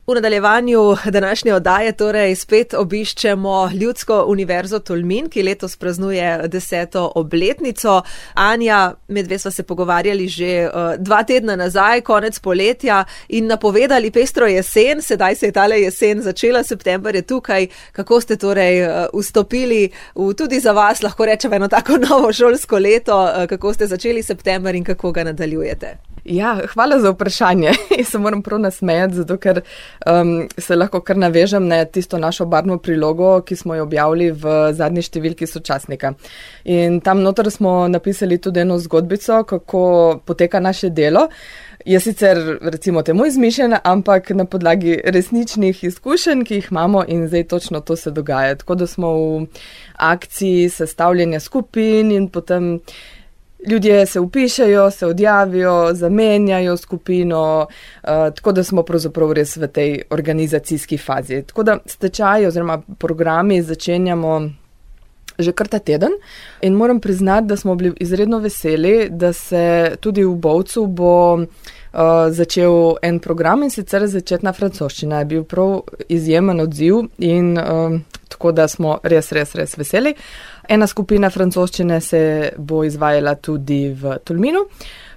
V nadaljevanju današnje oddaje torej spet obiščemo Ljudsko univerzo Tolmin, ki letos praznuje 10. obletnico. Anja, medve sva se pogovarjali že 2 tedna nazaj, konec poletja, in napovedali pestro jesen. Sedaj se je tale jesen začela, september je tukaj. Kako ste torej vstopili v tudi za vas, lahko rečemo, eno tako novo šolsko leto? Kako ste začeli september in kako ga nadaljujete? Ja, hvala za vprašanje. Se moram prav nasmejati, zato ker se lahko kar navežem na tisto našo barvno prilogo, ki smo jo objavili v zadnji številki sočasnika. In tam noter smo napisali tudi eno zgodbico, kako poteka naše delo. Je sicer recimo temu izmišljena, ampak na podlagi resničnih izkušenj, ki jih imamo, in zdaj točno to se dogaja. Tako da smo v akciji sestavljanja skupin in potem ljudje se vpišejo, se odjavijo, zamenjajo skupino, tako da smo pravzaprav res v tej organizacijski fazi. Tako da stečaji oziroma programi začenjamo že kar ta teden in moram priznati, da smo bili izredno veseli, da se tudi v Bovcu bo začel en program, in sicer začetna francoščina. Je bil prav izjemen odziv in tako da smo res veseli. Ena skupina francoščine se bo izvajala tudi v Tolminu.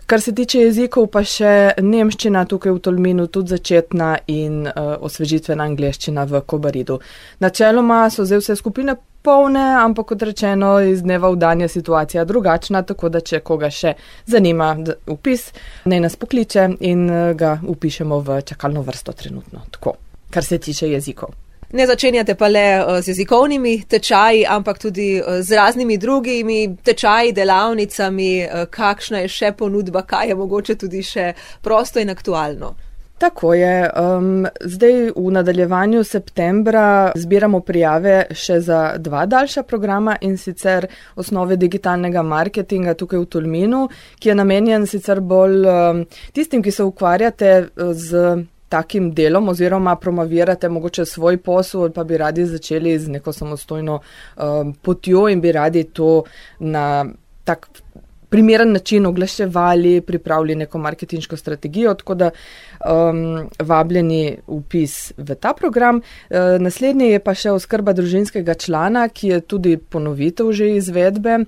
Kar se tiče jezikov, pa še nemščina tukaj v Tolminu, tudi začetna, in osvežitvena angleščina v Kobaridu. Načeloma so zdaj vse skupine polne, ampak kot rečeno, iz dneva v dan je situacija drugačna, tako da če koga še zanima vpis, naj nas pokliče in ga vpišemo v čakalno vrsto trenutno. Tako, kar se tiče jezikov. Ne začenjate pa le z jezikovnimi tečaji, ampak tudi z raznimi drugimi tečaji, delavnicami. Kakšna je še ponudba, kaj je mogoče tudi še prosto in aktualno? Tako je. Zdaj v nadaljevanju septembra zbiramo prijave še za 2 daljša programa, in sicer osnove digitalnega marketinga tukaj v Tolminu, ki je namenjen sicer bolj tistim, ki se ukvarjate z takim delom oziroma promovirate mogoče svoj posel, pa bi radi začeli z neko samostojno potjo in bi radi to na tak primeren način oglaševali, pripravili neko marketinško strategijo, tako da vabljeni vpis v ta program. Naslednji je pa še oskrba družinskega člana, ki je tudi ponovitev že izvedbe.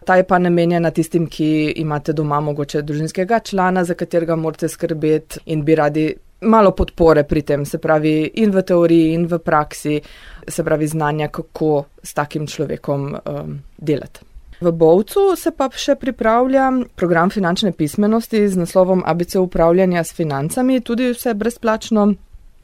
Ta je pa namenjena tistim, ki imate doma mogoče družinskega člana, za katerega morate skrbeti in bi radi malo podpore pri tem, se pravi in v teoriji in v praksi, se pravi znanja, kako s takim človekom delati. V Bovcu se pa še pripravlja program finančne pismenosti z naslovom ABC upravljanja s financami, tudi vse brezplačno.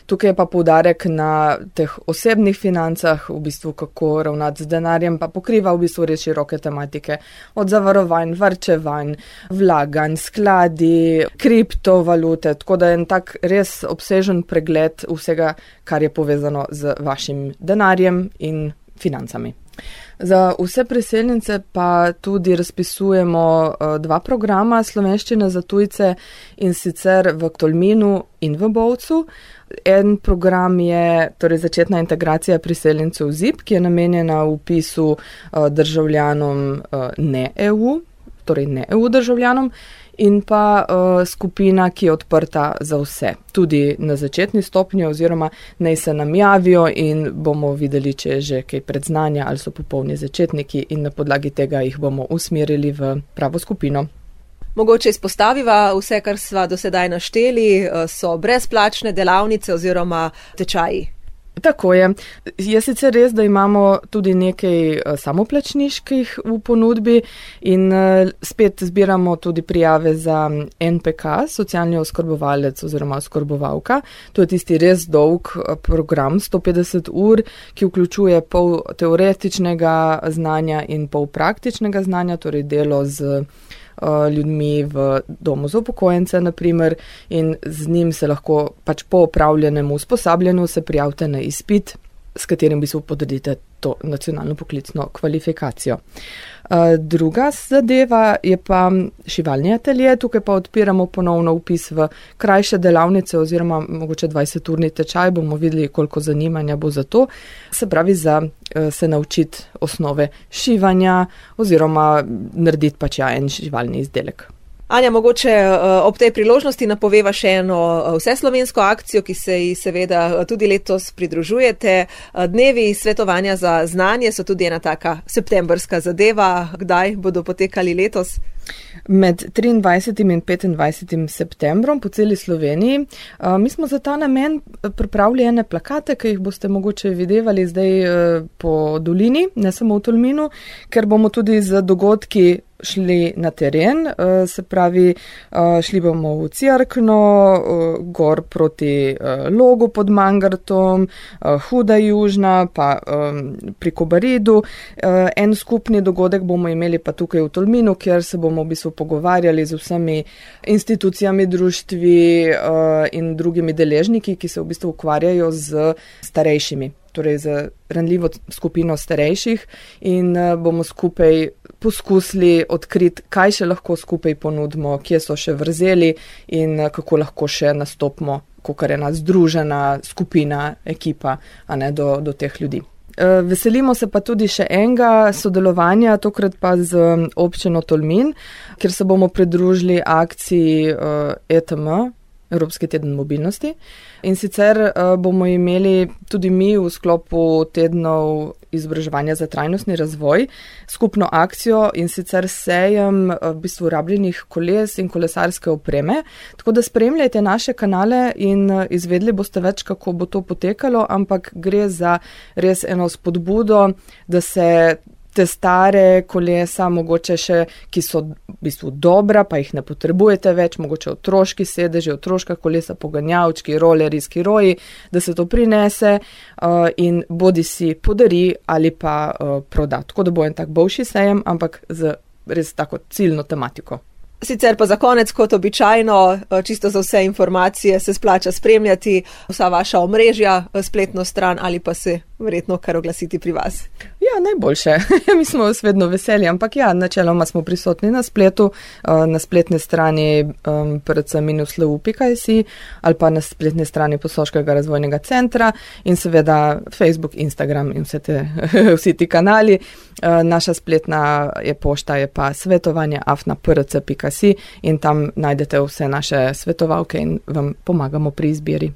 Tukaj je pa poudarek na teh osebnih financah, v bistvu kako ravnati z denarjem, pa pokriva v bistvu res široke tematike, od zavarovanj, varčevanj, vlaganj, skladi, kriptovalute, tako da je en tak res obsežen pregled vsega, kar je povezano z vašim denarjem in financami. Za vse priseljence pa tudi razpisujemo 2 programa slovenščine za tujce, in sicer v Tolminu in v Bovcu. En program je torej začetna integracija priseljencev ZIP, ki je namenjena vpisu državljanom ne EU, torej ne EU državljanom, in pa skupina, ki je odprta za vse, tudi na začetni stopnji, oziroma naj se nam javijo in bomo videli, če je že kaj predznanja ali so popolni začetniki, in na podlagi tega jih bomo usmerili v pravo skupino. Mogoče izpostaviva vse, kar sva do sedaj našteli, so brezplačne delavnice oziroma tečaji. Tako je. Je sicer res, da imamo tudi nekaj samoplačniških v ponudbi in spet zbiramo tudi prijave za NPK, socialni oskrbovalec oziroma oskrbovalka. To je tisti res dolg program, 150 ur, ki vključuje pol teoretičnega znanja in pol praktičnega znanja, torej delo z ljudmi v domu za upokojence, naprimer, in z njim se lahko pač po opravljenem usposabljanju se prijavite na izpit, s katerim bi se potrdite to nacionalno poklicno kvalifikacijo. Druga zadeva je pa šivalni atelje. Tukaj pa odpiramo ponovno vpis v krajše delavnice oziroma mogoče 20-urni tečaj, bomo videli, koliko zanimanja bo za to. Se pravi, za se naučiti osnove šivanja oziroma narediti pač en šivalni izdelek. Anja, mogoče ob tej priložnosti napoveva še eno vseslovensko akcijo, ki se ji seveda tudi letos pridružujete. Dnevi svetovanja za znanje so tudi ena taka septembrska zadeva. Kdaj bodo potekali letos? Med 23. in 25. septembrom po celi Sloveniji. Mi smo za ta namen pripravili ene plakate, ki jih boste mogoče videvali zdaj po dolini, ne samo v Tolminu, ker bomo tudi z dogodki šli na teren, se pravi, šli bomo v Cerkno, gor proti Logu pod Mangartom, Huda Južna, pa pri Kobaridu. En skupni dogodek bomo imeli pa tukaj v Tolminu, kjer se bomo v bistvu pogovarjali z vsemi institucijami, društvi in drugimi deležniki, ki se v bistvu ukvarjajo z starejšimi, torej z ranljivo skupino starejših, in bomo skupaj poskusili odkriti, kaj še lahko skupaj ponudimo, kje so še vrzeli in kako lahko še nastopimo, kakor ena združena skupina, ekipa, a ne, do teh ljudi. Veselimo se pa tudi še enega sodelovanja, tokrat pa z občino Tolmin, kjer se bomo pridružili akciji ETM, Evropski teden mobilnosti. In sicer bomo imeli tudi mi v sklopu tednov izobraževanja za trajnostni razvoj skupno akcijo, in sicer sejem v bistvu rabljenih koles in kolesarske opreme. Tako da spremljajte naše kanale in izvedli boste več, kako bo to potekalo, ampak gre za res eno spodbudo, da se te stare kolesa, mogoče še, ki so v bistvu dobra, pa jih ne potrebujete več, mogoče otroški sedeži, otroška kolesa, poganjavčki, roleri, skiroji, da se to prinese in bodi si podari ali pa proda. Tako da bo en tak boljši sejem, ampak z res tako ciljno tematiko. Sicer pa za konec, kot običajno, čisto za vse informacije se splača spremljati vsa vaša omrežja, spletno stran ali pa se verjetno kar oglasiti pri vas. Ja, najboljše. Mi smo vedno veseli, ampak ja, načeloma smo prisotni na spletu, na spletni strani prc-lu.si ali pa na spletni strani Posoškega razvojnega centra in seveda Facebook, Instagram in vsi ti kanali. Naša spletna pošta je pa svetovanje@prc.si in tam najdete vse naše svetovalke in vam pomagamo pri izbiri.